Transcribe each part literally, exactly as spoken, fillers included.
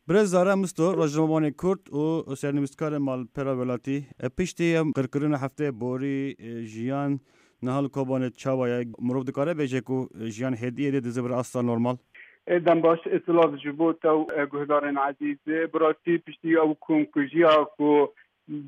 Birêz Zara Misto, rojnamevanê Kurd û sernivîskarê malpera welatî. E, piştî em qirkirina heftê borî, e, jiyan niha li Kobanê çawa ye? Mirov dikare bêje ku, e, jiyan hêdî hêdî dize vir asta normal? E, dem baş, e, silav ji bo te û, e, guhdarên ezîz. E, bi rastî piştî ew komkujiya ku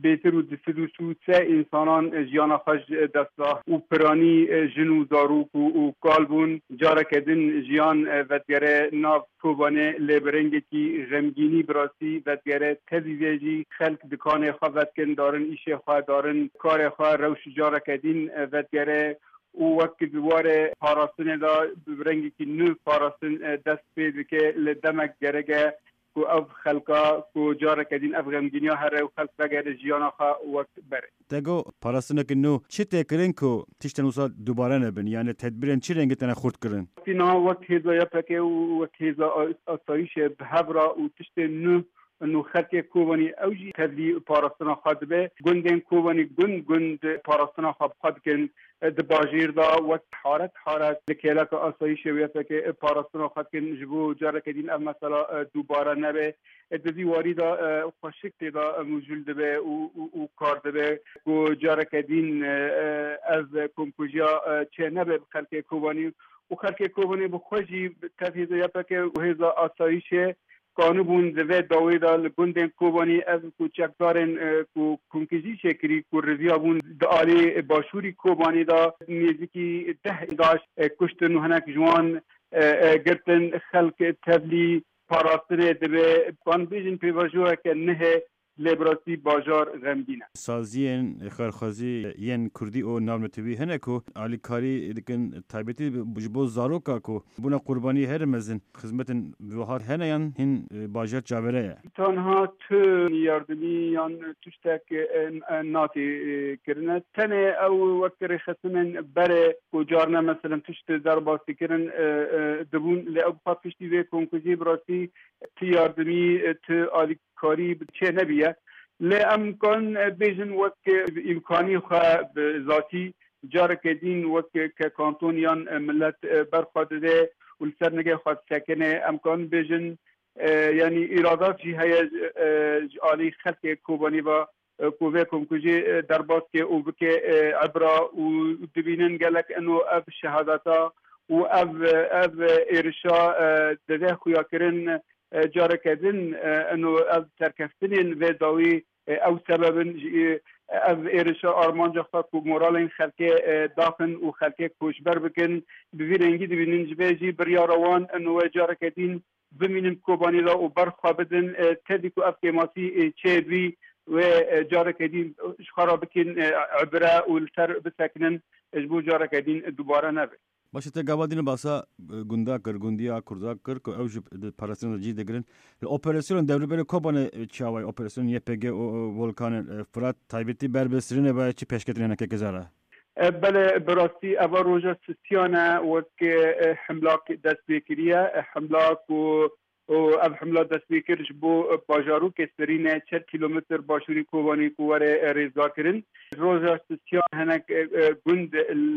bêtir û du sed û sî û sê însanan jiyana xwe ji dest da û piranî jin û zarok û, û kal bûn. Careke din jiyan vedigere nav Kobanê, lê bi rengekî xemgînî bi rastî vedigere. Tevî vê jî xelk dikanê xwe vedikin, darin îşê xwe, darin karê xwe, rewş careke din vedigere. Û wek di warê parastinê de bi rengekî nû parastin, e, dest pê dike, li demek gerek e ku ev xelka ku careke din ev xemgîniya here û xelk vegere jiyana xwe wek berê. Te got parastineke nû, çi tê kirin ku tiştên wisa dubare nebin? Yani tedbîrên çi rengî tene xurt kirin? Niha wek hêza Y P G û wek hêza a-, asayîşê bi hev re û tiştên nû û xelkê Kobanî ew jî tevlî parastina xwe dibe. Gundên Kobanî gund gund parastina xwe bi xwe dikin. Di bajêr de wek haret haret li kêleka asayîşê wê fekê parastina xwe dikin, ji bo careke din ev mesela, e, dubare nebe. E, di vî warî de, e, xweşik tê de, e, mijûl dibe û, û, û kar dibe ku careke din, e, e, ev komkujiya, e, çê nebe bi xelkê Kobanî û xelkê Kobanê bi xwe jî tev hêza Y P G û hêza asayîşê kanibûn di vê dawê de li gundên Kobanî ev ku çekdarên, e, ku komkujî çêkirî ku reviyabûn di alî başûrî Kobanê de nêzîkî deh DAIŞ, e, kuştin û hinek ji wan, e, e, girtin. Xelk tevlî parastinê dibe. Kan bêjin pêvajoyeke nihe. Lê bi rastî bajar xemgîn e. Saziyên xêrxwazî yên kurdî û navnetewî hene ku alîkarî dikin, taybetî ji bo zaroka ku bûne qurbanî herî mezin. Xizmetên wiha hene yan hîn, e, bajar çavere ye? Tanha tu yardimî yan tiştek, e, e, natê, e, kirine. Tenê ew wek rêxistinên berê ku carna, meselen, tişt derbas dikirin, e, e, dibûn. Lê ew bi xwe piştî vê komkujiyê bi rastî tu yardimî, e, tu alî karî çê nebiye. Lê em kan, e, bêjin wek, e, îmkanî xwe bi zatî careke din wek, e, ke kanton yan, e, milet, e, ber xwe dide û li ser nigê xwe disekine. Em kan bêjin, e, yanî îradat jî heye, e, ji alî xelkê Kobanî ve, e, ku vê komkujî, e, derbas ke û bike, e, ibra û dibînin gelek eno ev şehadeta û ev, ev êrişa, e, dide xuyakirin. E, careke din, e, eno ev serkeftinên vê dawî, e, ew sebeb in jî, e, ev êrişa armanca xwe ku moralên xelkê, e, daxin û xelkê koçber bikin, bi vî rengî dibînin. Ji vê jî biryara wan eno wê careke din bimînin Kobanî de û ber xwe bidin, e, tevî ku ev kêmasî, e, çêbî wê, e, careke din ji xwe re bikin, e, ibire û li ser bisekinin, e, ji bo careke din dubare nebe. Baş e, te gava dîne basa, e, gunda kir, gundiya kurda kir ku ew ji di parastina de cî digirin. Li operasyonên dewrûberê Kobanê, e, çawa ye? Operasyonên Y P G û, û Volkanê, e, Firat taybetî ber bi sirînê ve çi pêşketinê hene keke Zara? E, belê, bi rastî eva roja sisiyan e wek, e, himlak dest pê kiriye. E, himlak û û ev himla dest pê kir ji bo bajarokê Sirîne, çar kîlometr başûrî Kobanê ku were, e, rêzgar kirin. Roja sisiyan hinek, e, e, gund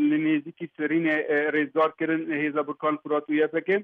li nêzîkî Sirîne, e, rêzgar kirin, hêza Burkan Furat û Y P G.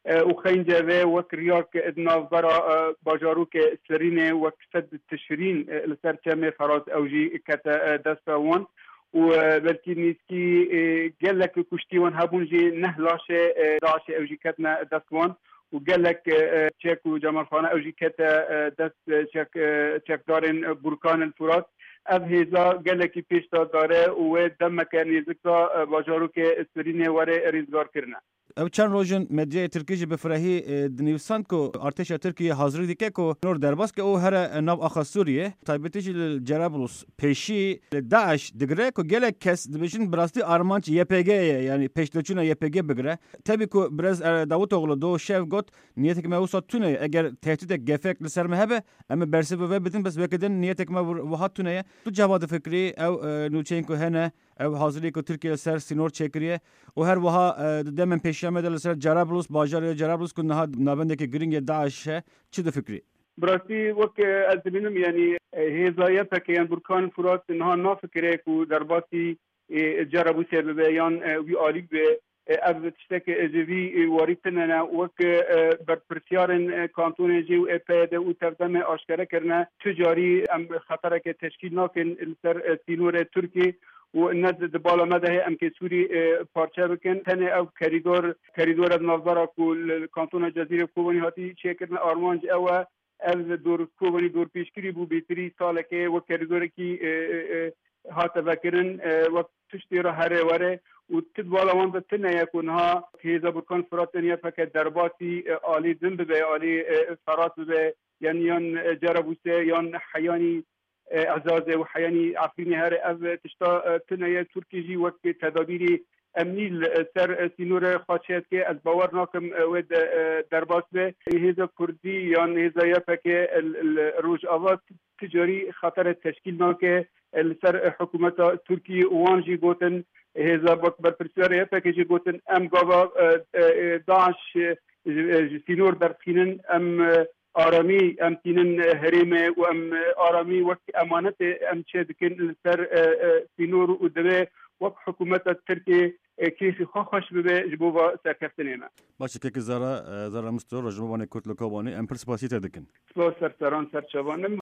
E, û xeynce ve wek riyak di navbera, e, bajarokê Sirîne wek sed Tişrîn, e, li ser çemê Ferat ew jî kete, e, desta wan. û, e, belkî nîskî, e, gelek kuştî wan hebûn jî neh laşê, e, DAIŞê ew jî ketine dest wan û gelek, e, e, çek û cemalxane ew jî kete, e, dest, e, çek, e, çekdarên, e, Burkan el Furat. Ev hêza gelekî pêş de dare û wê demeke nêzik de, e, bajarokê Sirînê were rêzgar kirine. Ew çend roj in medyayê tirkî jî bi firehî, e, dinivîsand ku artêşa Tirkiyê hazirî dike ku nor derbas ke û here, e, nav axa Sûriyê, taybetî jî li Cerablus pêşî li DAIŞ digire ku gelek kes dibêjin bi rastî armanc Y P G ye, yanî pêşdeçûna Y P G bigire. Tevî ku birêz, e, Davutoglu do şev got, niyetek me wisa tune ye, eger tehdîdek gefek li ser me hebe, em ê bersivê vê bidin, bes weke din niyetek me wir-, wiha tune ye. Tu cava difikirî ew, e, nûçeyên ku hene, ew hazirî ku Tirkiye li ser sînor çêkiriye û her wiha, e, di demên pêşiya me de li ser Cerablus, bajarê Cerablus ku niha navendeke girîng yê DAIŞ e, çi difikirî? Bi rastî wek, e, ez dibînim, yanî, e, hêza Y P G yan Burkan Furat niha nafikire ku derbasî, e, Cerablusê bibe yan, e, wî alî bibe. E, ev tiştek, e, ji vî, e, warî tune ne. Wek, e, berpirsiyarên, e, kantonê jî û ê P Y D û tevdemê aşkere kirine, tu carî em xetereke teşkîl nakin li ser, e, sînorê Tirkiyê û ne di, di bala me de heye em kê Sûrî, e, parçe bikin. Tenê ev kerîdor, kerîdora di navbera ku li, li kantona Cezîrê Kobanî hatî çêkirine, armanc ew e. Ev dor Kobanî dorpêçkirî bû, bêtirî salekê wek kerîdorekî, e, e, e, hate vekirin, e, wek tiştê re here were û ti di bala wan de tune ye ku niha hêza Burkan Firat yan Y P G derbasî, e, alî din bibe, alî, e, Ferat bibe, yan, yan, e, Cerabûse, yan heyanî, e, Ezazê û heyanî Efrînê here. Ev tişta, e, tune ye. Tirkî jî wek tedabîrî emnî li ser, e, sînorê xwe çêdike. Ez bawer nakim, e, wê de, e, derbas be. Hêza Kurdî yan hêza Y P G li, li Rojava ti carî xetere teşkîl nake, e, li ser, e, hikûmeta Tirkiyê û wan jî gotin, hêza wek berpirsiyarê Y P G jî gotin, em gava, e, e, e, DAIŞ, e, ji, e, ji sînor derdixînin, em, e, aramî em tînin, e, herêmê û em, e, aramî wek emanetê em çêdikin li ser, e, e, sînor û divê wek hikûmeta Tirkiyê, e, kêfî xwe xweş bibe ji bo va serkeftinê me. Baş e, kek Zara, e, Zara Misto, rojnamevanê Kurd li Kobanê, em pir spasî te dikin. Spas ser seran ser çavan.